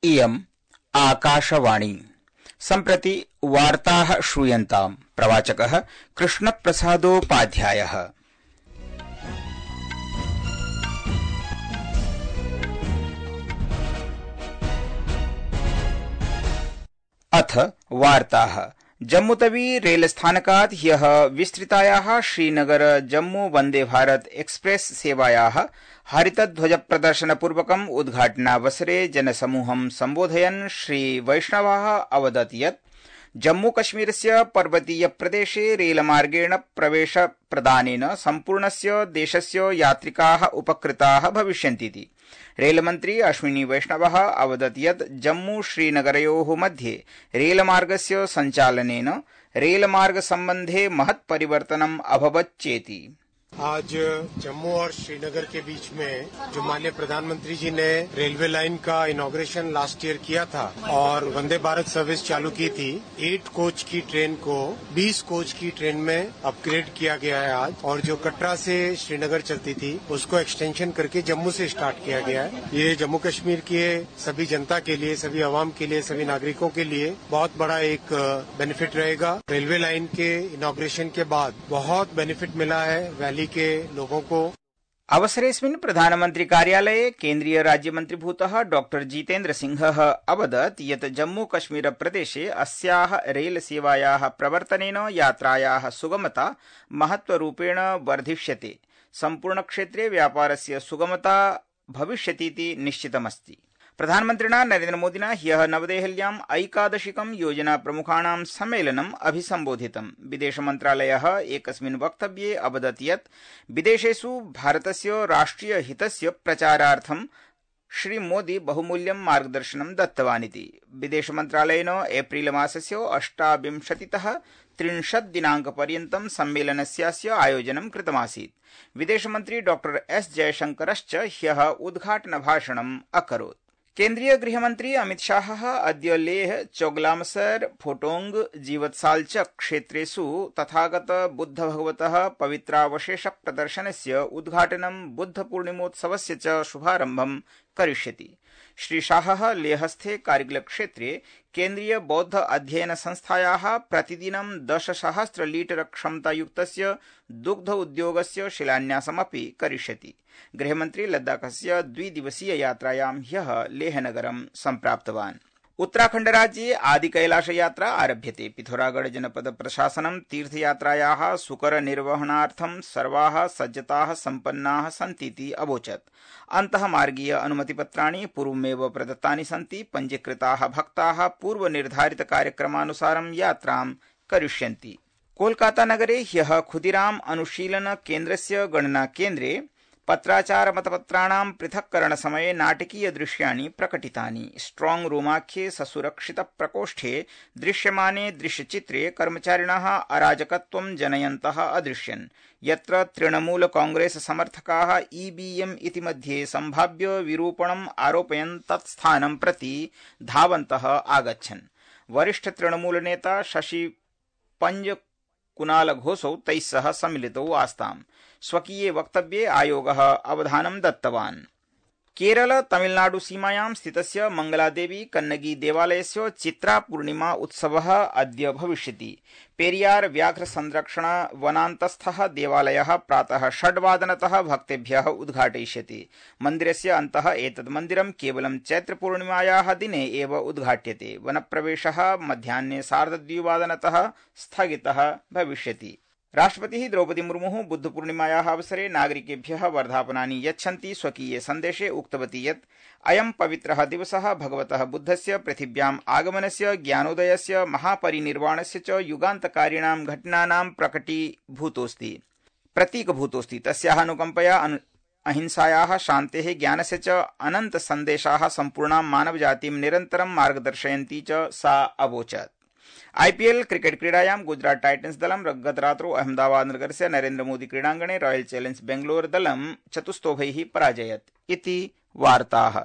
इयम् आकाशवाणी। सम्प्रति वार्ताः श्रूयन्ताम्। प्रवाचकः कृष्णप्रसादोपाध्यायः। अथ वार्ताः। जम्मूतवी रेलस्थानकात् ह्यः विस्तृतायाः श्रीनगर जम्मू वन्दे भारत एक्सप्रेस सेवायाः हरितध्वजप्रदर्शनपूर्वकम् उद्घाटनावसरे जनसमूहं सम्बोधयन् श्रीवैष्णवः अवदत् यत् जम्मूकश्मीरस्य पर्वतीयप्रदेशे रेलमार्गेण प्रवेशप्रदानेन सम्पूर्णस्य देशस्य यात्रिकाः उपकृताः भविष्यन्तीति। रेलमन्त्री अश्विनी वैष्णवः अवदत् यत् जम्मू श्रीनगरयोः मध्ये रेलमार्गस्य सञ्चालनेन रेलमार्गसम्बन्धे महत् परिवर्तनम् अभवत् चेति। आज जम्मू और श्रीनगर के बीच में जो माननीय प्रधानमंत्री जी ने रेलवे लाइन का इनॉग्रेशन लास्ट ईयर किया था और वंदे भारत सर्विस चालू की थी, 8 कोच की ट्रेन को 20 कोच की ट्रेन में अपग्रेड किया गया है आज। और जो कटरा से श्रीनगर चलती थी उसको एक्सटेंशन करके जम्मू से स्टार्ट किया गया है। ये जम्मू कश्मीर के सभी जनता के लिए, सभी आवाम के लिए, सभी नागरिकों के लिए बहुत बड़ा एक बेनिफिट रहेगा। रेलवे लाइन के इनॉग्रेशन के बाद बहुत बेनिफिट मिला है वैली के लोगों को। अवसरेऽस्मिन् प्रधानमन्त्री कार्यालये केन्द्रीय राज्यमन्त्रीभूतः डॉक्टर जितेन्द्र सिंहः अवदत् यत् जम्मू कश्मीर प्रदेशे अस्याः रेल सेवायाः प्रवर्तनेन यात्रायाः सुगमता महत्वरूपेण वर्धिष्यते। सम्पूर्णक्षेत्रे व्यापारस्य सुगमता भविष्यतीति निश्चितमस्ति। प्रधानमन्त्रिणा नरेन्द्रमोदिना ह्यः नवदेहल्याम् ऐकादशिकं योजनाप्रमुखाणां सम्मेलनम् अभिसम्बोधितम्। विदेशमन्त्रालयः एकस्मिन् वक्तव्ये अवदत् यत् विदेशेषु भारतस्य राष्ट्रियहितस्य प्रचारार्थं श्रीमोदी बहुमूल्यं मार्गदर्शनं दत्तवानिति। विदेशमन्त्रालयेन एप्रिल मासस्य 28तः 30 दिनाङ्कपर्यन्तं सम्मेलनस्यास्य आयोजनं कृतमासीत्। विदेशमन्त्री डॉक्टर एस जयशंकरश्च ह्यः उद्घाटनभाषणम् अकरोत्। केन्द्रीय गृहमन्त्री अमित शाहः अद्य लेह, चोगलामसर, फोटोंग, जीवत्सालचक क्षेत्रेषु तथागत बुद्धभगवतः पवित्रावशेष प्रदर्शनस्य उद्घाटनं, बुद्धपूर्णिमोत्सवस्य च शुभारम्भं करिष्यति। श्री शाहः लेहस्थे कारगिलक्षेत्रे केन्द्रीय बौद्ध अध्ययन संस्थायाः प्रतिदिनं 10,000 लीटर क्षमतायुक्तस्य दुग्ध उद्योगस्य शिलान्यासमपि करिष्यति। गृहमन्त्री लद्दाखस्य 2 दिवसीय यात्रायां ह्यः लेहनगरं सम्प्राप्तवान्। उत्तराखण्डराज्ये आदिकैलाशयात्रा आरभ्यते। पिथौरागढ़ जनपद प्रशासनं तीर्थयात्रायाः सुकरनिर्वहणार्थं सर्वाः सज्जताः सम्पन्नाः सन्तीति अवोचत्। अन्तःमार्गीय अनुमतिपत्राणि पूर्वमेव प्रदत्तानि सन्ति। पञ्जीकृताः भक्ताः पूर्वनिर्धारितकार्यक्रमानुसारं यात्रां करिष्यन्ति। कोलकातानगरे ह्यः खुदीराम अनुशीलन केन्द्रस्य गणनाकेन्द्रे पत्राचारमतपत्राणां पृथक्करणसमये नाटकीयदृश्याणि प्रकटितानि। स्ट्रांग रूमाख्ये ससुरक्षितप्रकोष्ठे दृश्यमाने दृश्यचित्रे कर्मचारिणः अराजकत्वं जनयन्तः अदृश्यन्, यत्र तृणमूल कांग्रेस समर्थकाः ईवीएम इति मध्ये सम्भाव्य विरूपणम् आरोपयन् तत्स्थानं प्रति धावन्तः आगच्छन्। वरिष्ठ तृणमूल नेता शशि पंज कुणाल घोषौ तैः सह सम्मिलितौ आस्ताम्। स्वकीये वक्तव्ये आयोगः अवधानं दत्तवान्। केरल तमिलनाडु सीमायां स्थितस्य मंगलादेवी कन्नगी देवालयस्य चित्रापूर्णिमा उत्सवः अद्य भविष्यति। पेरियार व्याघ्र संरक्षण वनान्तस्थः देवालयः प्रातः 6:00 भक्तेभ्यः उद्घाटयिष्यते। मन्दिरस्य अन्तः एतद् मन्दिरं केवलं चैत्रपूर्णिमायाः दिने एव उद्घाट्यते। वनप्रवेशः मध्याह्ने 2:30 स्थगितः भविष्यति। राष्ट्रपतिः द्रौपदी मुर्मुः बुद्धपूर्णिमायाः अवसरे नागरिकेभ्यः वर्धापनानि यच्छन्ती स्वकीये सन्देशे उक्तवती यत् अयं पवित्रः दिवसः भगवतः बुद्धस्य पृथिव्याम् आगमनस्य, ज्ञानोदयस्य, महापरिनिर्वाणस्य च युगान्तकारिणां घटनानां प्रतीकभूतोऽस्ति। तस्याः अनुकम्पया अहिंसायाः, शान्तेः, ज्ञानस्य च अनन्त सन्देशाः सम्पूर्णां मानवजातिं निरन्तरं मार्गदर्शयन्ती च सा अवोचत्। आईपीएल क्रिकेट क्रीडायां गुजरात टाइटन्स दलं गतरात्रौ अहमदाबाद नगरस्य नरेन्द्र मोदी क्रीडाङ्गणे रॉयल चैलेंजर्स बेंगलोर दलं 4-0 पराजयत् इति वार्ताः।